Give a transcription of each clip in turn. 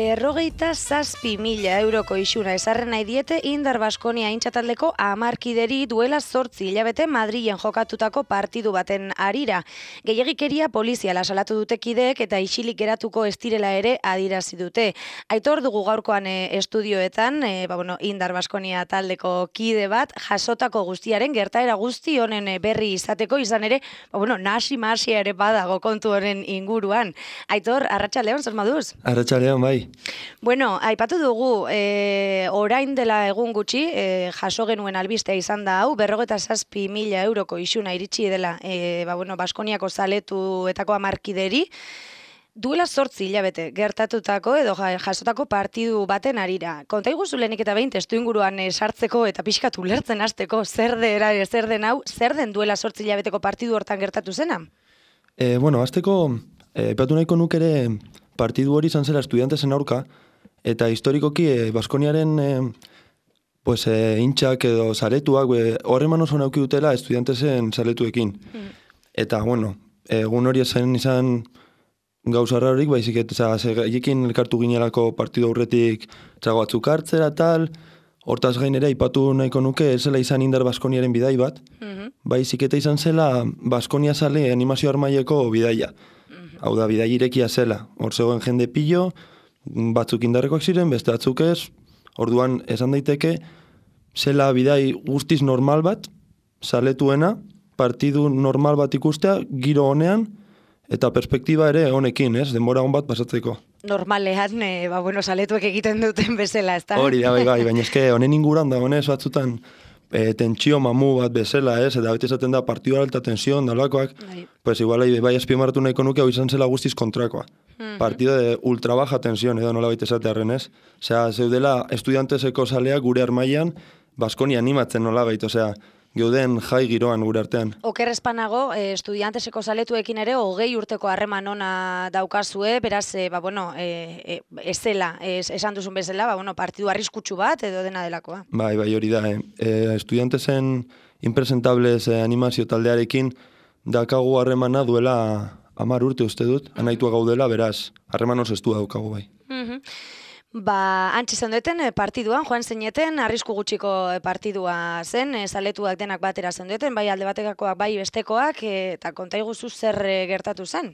57.000 euroko isuna esarren nahi diete Indar Baskonia aintzataldeko 10 kideri duela 8 hilabete Madrilen jokatutako partidu baten harira. Gehiegikeria poliziala salatu dute kideek eta isilik geratuko ez direla ere adierazi dute. Aitor dugu gaurkoan estudioetan, Indar Baskonia taldeko kide bat jasotako guztiaren gertaera guzti honen berri izateko izan ere, nasi-masia ere badago kontu honen inguruan. Aitor, arratsaldeon, zer moduz? Arratsaldeon, bai. Bueno, aipatu dugu, orain dela egun gutxi, jaso genuen albistea izan da hau, 57.000 euroko isuna iritsi dela, Baskoniako zaletuetako 10 kideri, duela 8 hilabete gertatutako edo jasotako partidu baten harira. Konta iguzu lehenik eta behin testu inguruan sartzeko eta pixkat ulertzen hasteko zer den duela 8 hilabeteko partidu hortan gertatu zena? Hasteko, epatu nahiko nuk ere partidu hori izan zela estudiantesen aurka, eta historikoki Baskoniaren intxak edo zaletuak horre manos hona auki dutela estudiantesen zaletuekin. Eta, egun hori izan gauza rarorik, baizik eta ekin elkartu ginelako partidu aurretik txago batzuk hartzera tal, hortaz gainera ipatu nahiko nuke ez zela izan Indar Baskoniaren bidai bat, baizik eta izan zela Baskonia zale animazio armaileko bidaia. Hau da, bidai irekia zela. Hor zegoen jende pilo, batzuk indarrekoak ziren, beste batzuk ez, orduan esan daiteke, zela bidai guztiz normal bat, zaletuena, partidu normal bat ikustea, giro honean, eta perspektiba ere honekin, denbora hon bat pasatzeko. Normalean, zaletuek egiten duten bezala, ez da? Hori da, bai, baina eske honen inguran da, honez batzutan tentsio mamu bat bezala, eta beti esaten da partidu alta tensio, dalakoak, pues igual bai azpimarratu nahiko nuke hau izan zela guztiz kontrakoa. Partido de ultra baja tensión, edo nola baita esatearen, ez? Osea, zeudela estudianteseko zaleak gure armailan, Baskonia animatzen nola baita, osea, geuden jai giroan gure artean. Oker espanago, estudianteseko zaletuekin ere 20 urteko harreman ona daukazue, beraz, ez zela, esan duzun bezala, partidu arriskutsu bat edo dena delakoa. Bai, hori da, estudiantesen impresentables animazio taldearekin dakagu harremana duela 10 urte uste dut, anaitua gaudela, beraz, harreman osestu daukagu bai. Antzi zendueten partiduan, joan zeineten, arrisku gutxiko partidua zen, zaletuak denak batera zendueten, bai alde batekakoak, bai bestekoak, eta konta iguzu zer gertatu zen?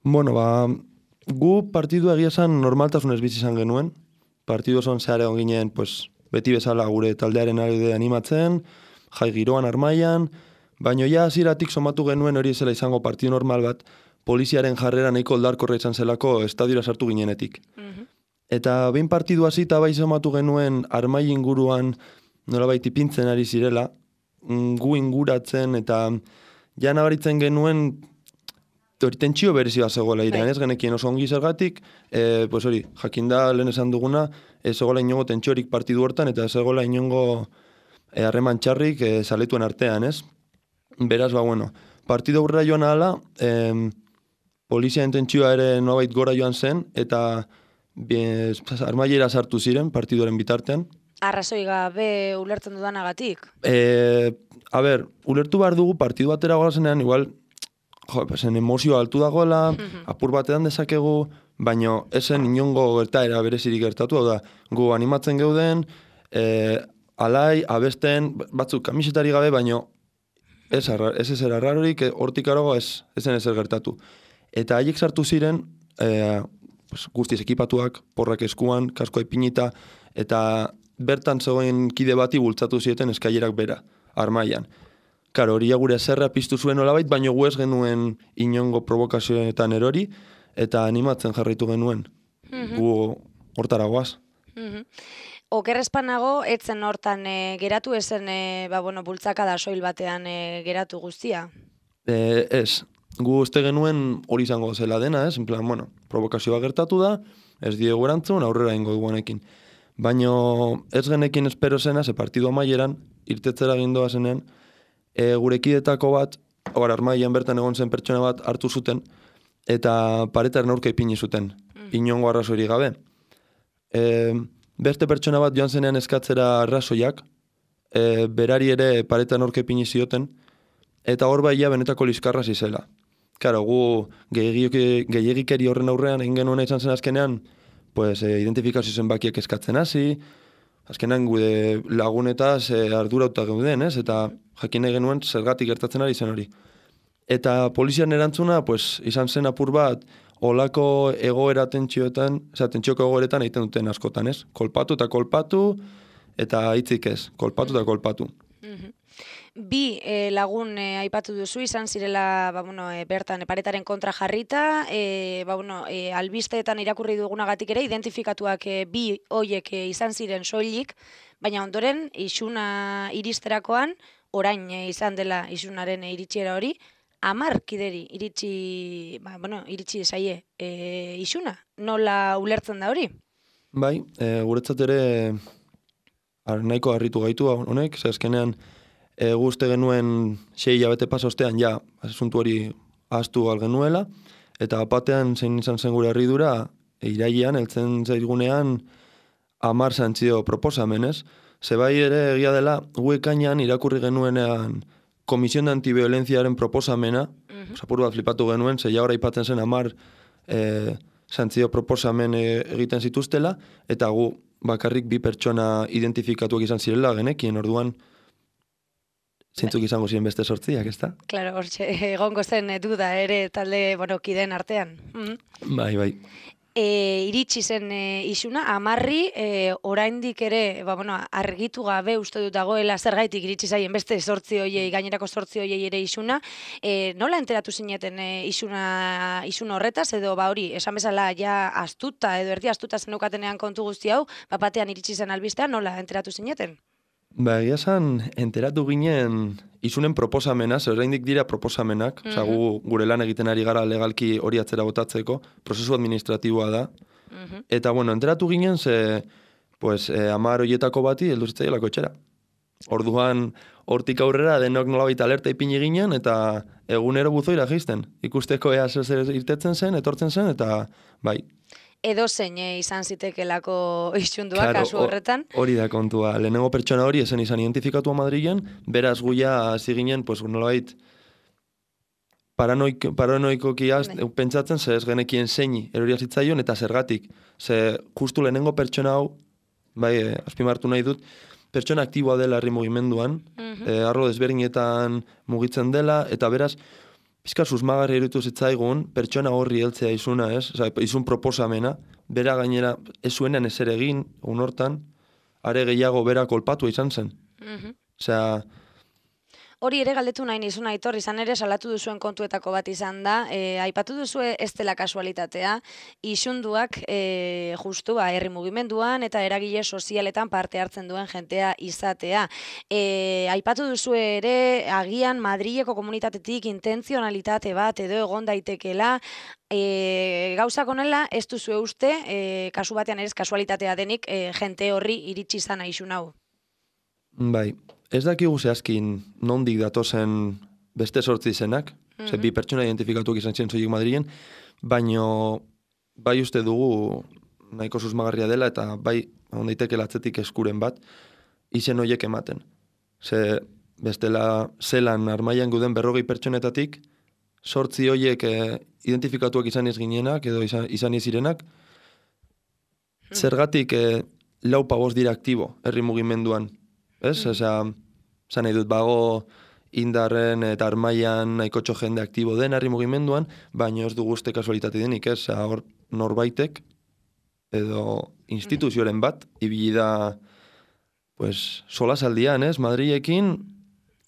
Gu partidua egia zen normaltasunez bizi izan genuen, partidu oson zehar egon ginen, beti bezala gure taldearen alde animatzen, jai giroan armailan, baina ja hasieratik somatu genuen hori zela izango partidu normal bat, poliziaren jarrera nahiko oldarkorra izan zelako estadiora sartu ginenetik. Eta behin partidu hasita bai somatu genuen armai inguruan nolabait ipintzen ari zirela, gu inguratzen eta ja nabaritzen genuen tentsio berezi bat zegoela irean, ez genekien oso ongi zergatik, jakinda lehen esan duguna, ez zegoela inongo tentsiorik partidu hortan eta ez zegoela inongo harreman txarrik zaletuen artean, ez? Beraz, partidu aurrera joan ahala, poliziaren tentsioa ere nolabait gora joan zen, eta armailera sartu ziren partiduaren bitartean. Arrazoi gabe ulertzen dudanagatik? Ulertu behar dugu partidu batera goazenean, igual, emozioa altu dagoela, apur batean dezakegu, baina esen inongo gertaera berezirik gertatu, hau da, gu animatzen geuden, alai, abesten, batzuk kamisetari gabe, baina ez ezer arrarorik, hortik arago ez zen ezer gertatu. Eta haiek sartu ziren, guztiz ekipatuak, porrak eskuan, kaskoa ipinita, eta bertan zegoen kide bati bultzatu zieten eskailerak bera, armailan. Karo, hori gure zerra piztu zuen olabait, baina gu ez genuen inongo provokazioetan erori, eta animatzen jarraitu genuen. Gu hortara goaz. Oker espanago, etzen hortan geratu, ezen bultzakada soil batean geratu guztia? Ez. Gu uste genuen hori izango zela dena, ez? En plan, provokazioa gertatu da, ez diegu erantzun, aurrera ingo duguanekin. Baina ez genekin espero zena, ze partidu amaieran, irtetzera gindoa zenean, gure kidetako bat, armaian bertan egon zen pertsona bat hartu zuten, eta paretaren aurka ipini zuten, inongo arrazoirik gabe. Beste pertsona bat joan zenean eskatzera arrazoiak, berari ere paretaren aurka ipini zioten, eta hor baia benetako liskarra zizela. Karo, gu gehiagikeri horren aurrean egin genuena izan zen azkenean pues, identifikazio zenbakiek eskatzen hasi, azkenan gude lagunetaz ardurauta geuden, ez? Eta jakin nahi genuen zergatik gertatzen ari zen hori. Eta polizian erantzuna, pues, izan zen apur bat, olako egoera tentsioetan, tentsioko egoeretan egiten duten askotan, ez? Kolpatu eta kolpatu, eta hitzik ez, kolpatu eta kolpatu. Bi lagun aipatu duzu, izan zirela bertan paretaren kontra jarrita, albisteetan irakurri dugunagatik ere, identifikatuak bi hoiek izan ziren soilik, baina ondoren isuna iristerakoan, orain izan dela isunaren iritsiera hori, 10 kideri iritsi zaie isuna. Nola ulertzen da hori? Bai, guretzat ere nahiko harritu gaitu honek, azkenean guzti genuen 6 hilabete pasa ostean ja asuntu hori ahaztu algenuela, eta batean zein izan zen gure harridura, irailean, heltzen zaigunean 10 santzio proposamenez. Zebai ere egia dela, ekainean irakurri genuenean Komisión de Antibiolenziaren proposamena, apur bat flipatu genuen, ze jaura aipatzen zen 10 santzio proposamen egiten zituztela, eta gu bakarrik 2 pertsona identifikatuak izan zirela genekien, orduan zintzuk izango ziren beste 8, ezta? Claro, hortxe, egongo zen duda ere talde, kideen artean. Bai. Iritsi zen isuna, 10 oraindik ere, argitu gabe uste dut dagoela zergaitik iritsi zaien beste 8 hoiei, gainerako 8 hoiei ere isuna. Nola enteratu zineten isun horretaz, edo hori, esan bezala ja astuta, edo erdi astuta zenukatenean kontu guzti hau, batean iritsi zen albistean, nola enteratu zineten? Egia esan, enteratu ginen isunen proposamena, oraindik dira proposamenak, gure lan egiten ari gara legalki hori atzera botatzeko, prozesu administratiboa da. Eta, enteratu ginen, 10 horietako bati heldu zitzaiolako etxera. Orduan, hortik aurrera denok nolabait alerta ipini ginen, eta egunero buzoira geizten. Ikusteko ea zer irtetzen zen, etortzen zen, eta bai. Edo zein izan zitekelako isundua kasu horretan. Hori da kontua. Lehenengo pertsona hori esen izan identifikatua Madrilen, beraz guia hasi ginen, nolabait paranoikoki pentsatzen, ze ez genekien zeini eroria zitzaion, eta zergatik. Ze justu lehenengo pertsona hau, bai, azpimartu nahi dut, pertsona aktiboa dela herri mugimenduan, arlo desberdinetan mugitzen dela, eta beraz, pizka susmagarri iruditu zitzaigun, pertsona horri heltzea isuna, ez? Isun proposamena, bera gainera ez zuenean ezer egin, hortan, are gehiago bera kolpatu izan zen. Hori ere galdetu nahi nizun, Aitor, izan ere salatu duzuen kontuetako bat izan da, aipatu duzue ez dela kasualitatea, isunduak justu herri mugimenduan eta eragile sozialetan parte hartzen duen jentea izatea. Aipatu duzue ere, agian Madrileko komunitatetik intentzionalitate bat edo egon daitekela, gauzak honela ez duzue uste, kasu batean ere kasualitatea denik, jente horri iritsi izan isun hau. Bai. Ez dakigu zehazkin nondik datozen beste 8 izenak, 2 pertsona identifikatuak izan ziren soilik Madrilen, baino bai uste dugu nahiko susmagarria dela, eta bai ondaiteke latzetik eskuren bat, izen horiek ematen. Ze bestela zelan armaian guden 40 pertsonetatik, 8 horiek identifikatuak izan ez ginenak, edo izan ez zirenak, zergatik 4-5 dira aktibo herri mugimenduan. Ez? Zan nahi dut bago indarren eta armaian nahikotxo jende aktibo den herri mugimenduan, baina ez dugu uste kasualitate denik, ez? Hor norbaitek edo instituzioaren bat, ibili da solasaldian, ez? Madrilekin,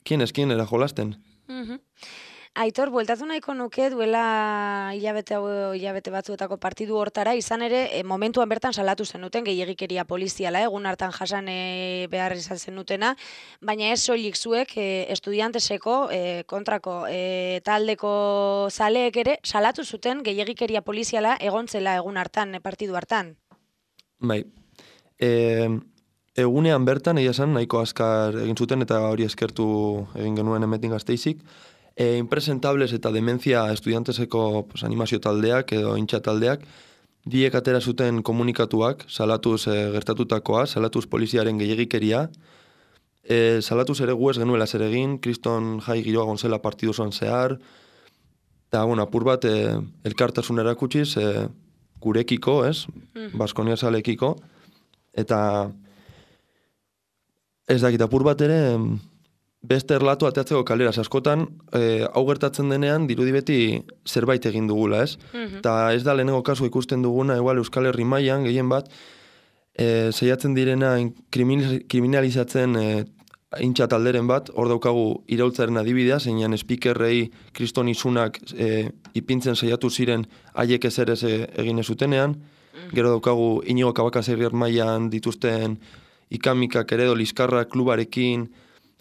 kien era jolasten. Aitor, bueltatu nahiko nuke duela hilabete batzuetako partidu hortara, izan ere momentuan bertan salatu zenuten gehiegikeria poliziala, egun hartan jasan behar izan zenutena, baina ez soilik zuek estudianteseko kontrako taldeko zaleek ere salatu zuten gehiegikeria poliziala egontzela egun hartan, partidu hartan. Bai, egunean bertan, egia esan, nahiko azkar egin zuten eta hori eskertu egin genuen Hemetik Gasteizik, Impresentables eta Dementzia estudianteseko animazio taldeak edo intxa taldeak biek atera zuten komunikatuak, salatuz gertatutakoa, salatuz poliziaren gehiegikeria, salatuz ere gu ez genuela zer egin, kriston jai giroa gonzela partidu zoan zehar, eta apur bat elkartasun erakutsiz, gurekiko, ez? Baskonia zalekiko, eta ez dakit apur bat ere, beste erlatu ateatzeko kaleraz askotan, hau gertatzen denean, dirudi beti zerbait egin dugula, ez? Eta ez da lehenengo kasu ikusten duguna, igual Euskal Herri mailan gehien bat, saiatzen direna kriminalizatzen hintxa talderen bat, hor daukagu iraultzaren adibidea, zeinan speakerrei kriston izunak ipintzen saiatu ziren haiek ezer ez egin ezutenean, gero daukagu Inigo Cabacas herriar mailan dituzten ikamikak ere edo liskarrak klubarekin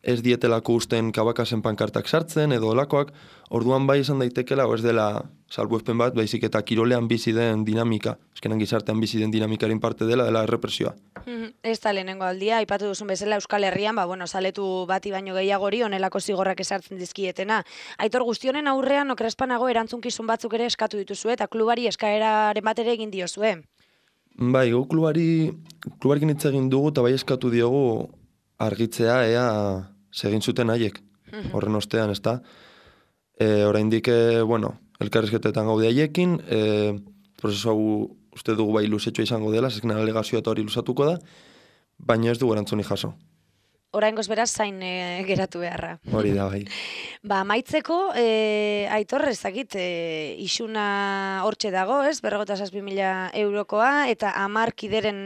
ez dietelako usten Cabacasen pankartak sartzen edo olakoak, orduan bai esan daitekela, ez dela salbuespen bat, baizik eta kirolean bizi den dinamika, eskenan gizartean bizi den dinamikaren parte dela errepresioa. Ez da lehenengo aldia, aipatu duzun bezala Euskal Herrian, zaletu bati baino gehiagori onelako zigorrak esartzen dizkietena. Aitor, guztionen aurrean okrespanago erantzunkizun batzuk ere eskatu dituzue eta klubari eskaeraren bat ere egin diozue. Bai, gu klubarekin hitz egin dugu eta bai eskatu diogu argitzea ea segin zuten haiek. Horren ostean, ez da. Oraindik, elkarrizketetan gaude haiekin, prozesu hau uste dugu bai luzetxoa izango dela, zezken alegazioa eta hori luzatuko da, baina ez dugu erantzuni jaso. Oraingoz beraz zain geratu beharra. Hori da, bai. Amaitzeko, Aitor, ezakit, isuna hortxe dago, ez? 57.000 eurokoa, eta 10 kideren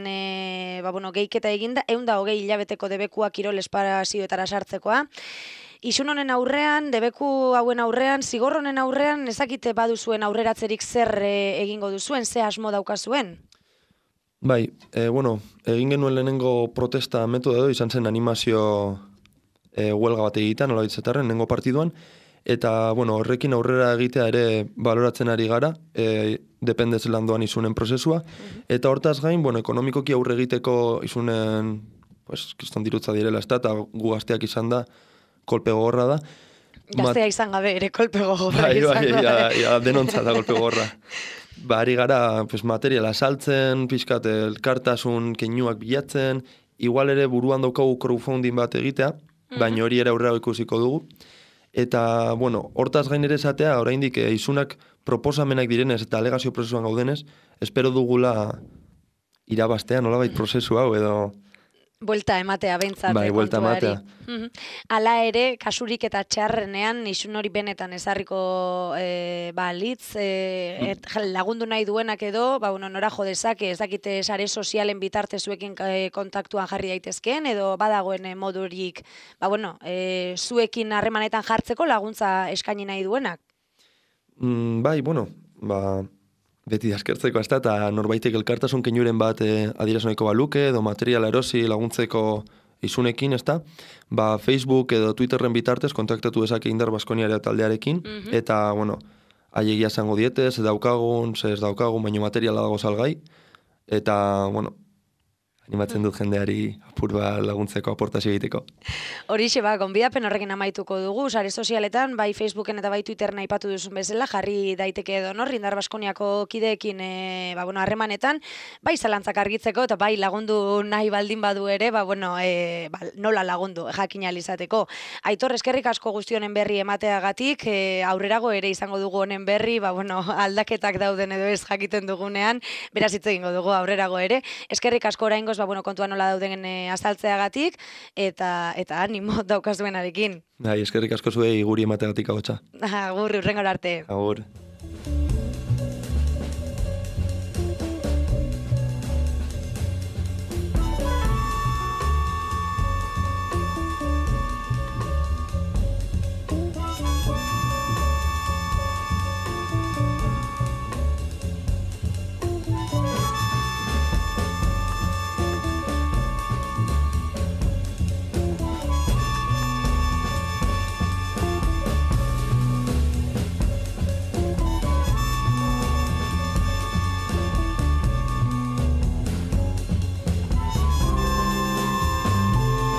gehiketa eginda, 120 hilabeteko debekua kirol espazioetara sartzekoa. Isun honen aurrean, debeku hauen aurrean, zigor honen aurrean, ezakite baduzuen aurreratzerik zer egingo duzuen, ze asmo daukazuen? Bai, egin genuen lehenengo protesta metoda edo izan zen animazio huelga bat egitan, nola bitzetarren, lehenengo partiduan, eta horrekin aurrera egitea ere baloratzen ari gara, dependez landoan izunen prozesua, eta hortaz gain, ekonomikoki aurre egiteko izunen, kriston dirutza direla, eta gu gazteak izan da, kolpe gogorra da. Gaztea izan gabe ere kolpe gogorra izan da. Bai, denontza da kolpe gogorra. Ari gara materiala saltzen, pixkat elkartasun keinuak bilatzen, igual ere buruan daukagu crowdfunding bat egitea, baina hori ere aurrera ikusiko dugu. Eta, hortaz gain ere esatea, oraindik izunak proposamenak direnez eta alegazio prozesuan gaudenez, espero dugula irabaztea, nolabait prozesu hau edo... Buelta ematea behintzat. Bai, buelta ematea. Hala ere, kasurik eta txarrenean, isun hori benetan ezarriko litz, lagundu nahi duenak edo, nora jo dezake, ez dakite sare sozialen bitarte zuekin kontaktuan jarri daitezkeen, edo badagoen modurik, zuekin harremanetan jartzeko laguntza eskaini nahi duenak? Bai, beti askertzeko ez da, eta norbaitek elkartasun keinuren bat adieraznoiko baluke, edo materiala erosi laguntzeko isunekin, ez da, Facebook edo Twitterren bitartez kontaktatu dezake Indar Baskoniarea taldearekin, eta, haiegia zango dietez, ez daukagun, baino materiala dago salgai, eta, animatzen dut jendeari apur laguntzeko, aportazio egiteko. Horixe, gonbidapen horrekin amaituko dugu, sare sozialetan, bai Facebooken eta bai Twitteren aipatu duzun bezala, jarri daiteke edo Indar Baskoniako kideekin harremanetan, bai zalantzak argitzeko eta bai lagundu nahi baldin badu ere, nola lagundu jakin izateko. Aitor, eskerrik asko guzti honen berri emateagatik, aurrerago ere izango dugu honen berri, aldaketak dauden edo ez jakiten dugunean, beraz hitz egingo dugu aurrerago ere. Eskerrik asko oraingoz, kontua nola dauden azaltzeagatik, eta animo daukazuenarekin. Eskerrik asko zuei guri emateagatik agotxa. Agur, hurrengora arte. Agur.